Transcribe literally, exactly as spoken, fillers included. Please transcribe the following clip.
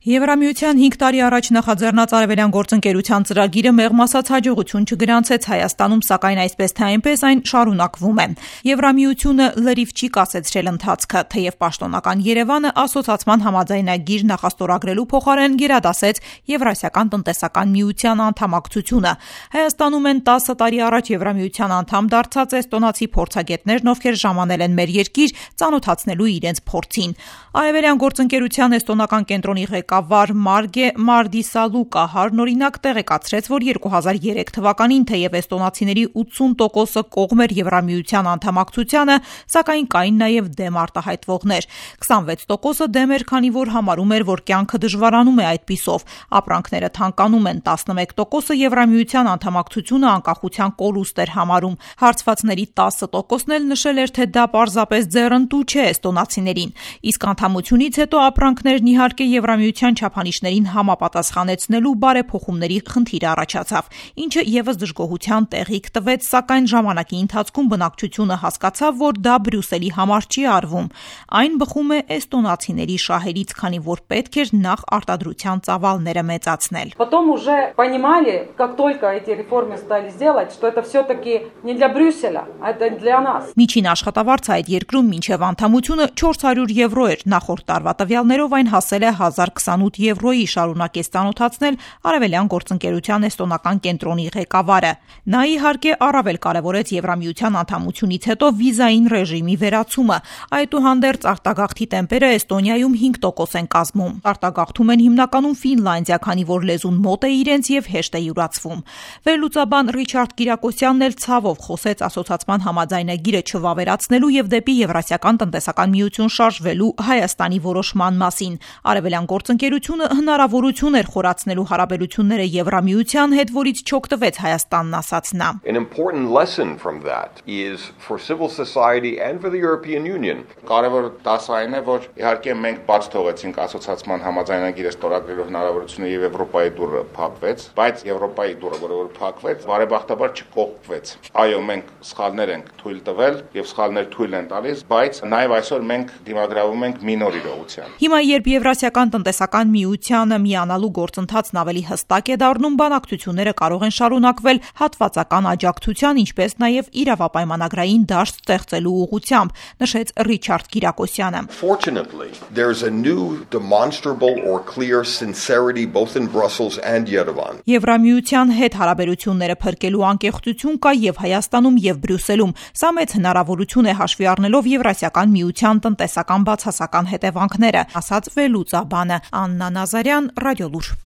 Եվրամիության հինգ տարի առաջ նախաձեռնած Արևելյան գործընկերության ծրագիրը մեղմ ասած հաջողություն չգրանցեց Հայաստանում, սակայն այսպես թե այնպես այն շարունակվում է։ Եվրամիությունը լրիվ չի կասեցրել ընթացքը, թեև պաշտոնական Երևանը ասոցացման համաձայնագիր նախաստորագրելու փոխարեն գերադասեց Եվրասիական տնտեսական միության անդամակցությունը։ Հայաստանում են տասը տարի առաջ Եվրամիության անդամ դարձած էստոնացի փորձագետներն, ովքեր ժամանել են մեր երկիր ծանոթացնելու իրենց փորձին։ Արևելյան գործընկերության էստոնական կենտրոնի ղեկավար Մարգե Մարդիսալուկահարն օրինակ տեղեկացրեց, որ երկու հազար երեք թվականին թեև էստոնացիների ութսուն տոկոսը կողմ էր Եվրամիության անդամակցությանը, սակայն կային նաև դեմ արտահայտվողներ։ քսանվեց տոկոսը դեմ էր, քանի որ համարում էր, որ կյանքը դժվարանում է այդպիսով, ապրանքները թանկանում են, տասնմեկ տոկոսը Եվրամիության անդամակցությունը անկախության կորուստ էր համարում։ Հարցվածների տասը տոկոսն էլ նշել էր, թե դա պարզապես ձեռնտու չէ էստոնացիներին։ Իսկ անդամությունից հետո ապրանքներն իհարկե Եվրամիության չափանիշներին համապատասխանեցնելու բարեփոխումների խնդիր առաջացավ, ինչը եւս դժգոհության տեղիք տվեց, սակայն ժամանակի ընթացքում բնակչությունը հասկացավ, որ դա Բրյուսելի համար չի արվում։ Այն բխում է էստոնացիների շահերից, քանի որ պետք էր նախ արտադրության ծավալները մեծացնել։ Потом уже понимали, как только эти реформы стали сделать, что это все-таки не для Брюсселя, а это для нас. Միջին աշխատավարձը այդ երկրում մինչև անդամությունը չորս հարյուր եվրո էր, նախորդ տարվա տվյալներով այն հասել է հազար քսանութ եվրոյի, շարունակեց ծանոթացնել Արևելյան գործընկերության էստոնական կենտրոնի ղեկավարը։ Նա իհարկե առավել կարևորեց Եվրամիության անդամությունից հետո վիզային ռեժիմի վերացումը։ Այդուհանդերձ արտագաղթի տեմպերը Էստոնիայում հինգ տոկոս են կազմում։ Արտագաղթում են հիմնականում Ֆինլանդիա, քանի որ լեզուն մոտ է իրենց եւ հեշտ է յուրացվում։ Վերլուծաբան Ռիչարդ Կիրակոսյանն էլ ցավով խոսեց ասոցացման համաձայնագիրը չվավերացնելու եւ դեպի Եվրասիական տնտեսական միություն շարժվելու Հայաստանի որոշման մասին։ Արևելյան գործընկերությունը հնարավորություն էր խորացնելու հարաբերությունները Եվրամիության հետ, որից չօգտվեց Հայաստանն, ասաց նա։ An important lesson from that is for civil society and for the European Union. Կարևոր դասը այն է, որ իհարկե մենք բաց թողեցինք ասոցացման համաձայնագիրը ստորագրելու հնարավորությունը եւ Եվրոպայի դուռը փակվեց, բայց Եվրոպայի դուռը, որը փակվեց, բարեբախտաբար չկողպվեց։ Այո, մենք սխալներ ենք թույլ տվել եւ սխալներ թույլ են տալիս, բայց նաեւ այսօր մենք դիմագրավում ենք մի նոր իրողության։ Հիմա երբ Եվրասիական տնտեսական միությանը միանալու գործընթացն ավելի հստակ է դառնում, բանակցությունները կարող են շարունակվել հատվածական աջակցության, ինչպես նաև իրավապայմանագրային դաշտ ստեղծելու ուղղությամբ, նշեց Ռիչարդ Կիրակոսյանը։ Fortunately, there's a new demonstrable or clear sincerity both in Brussels and Yerevan. Եվրամիության հետ հարաբերությունները փրկելու անկեղծություն կա եւ Հայաստանում եւ Բրյուսելում։ Սա մեծ հնարավորություն է հաշվի առնելով Եվրասիական միության տնտեսական բացասական հետևանքները, ասաց վերլուծաբանը Աննա Նազարյան, Ռադիոլուր։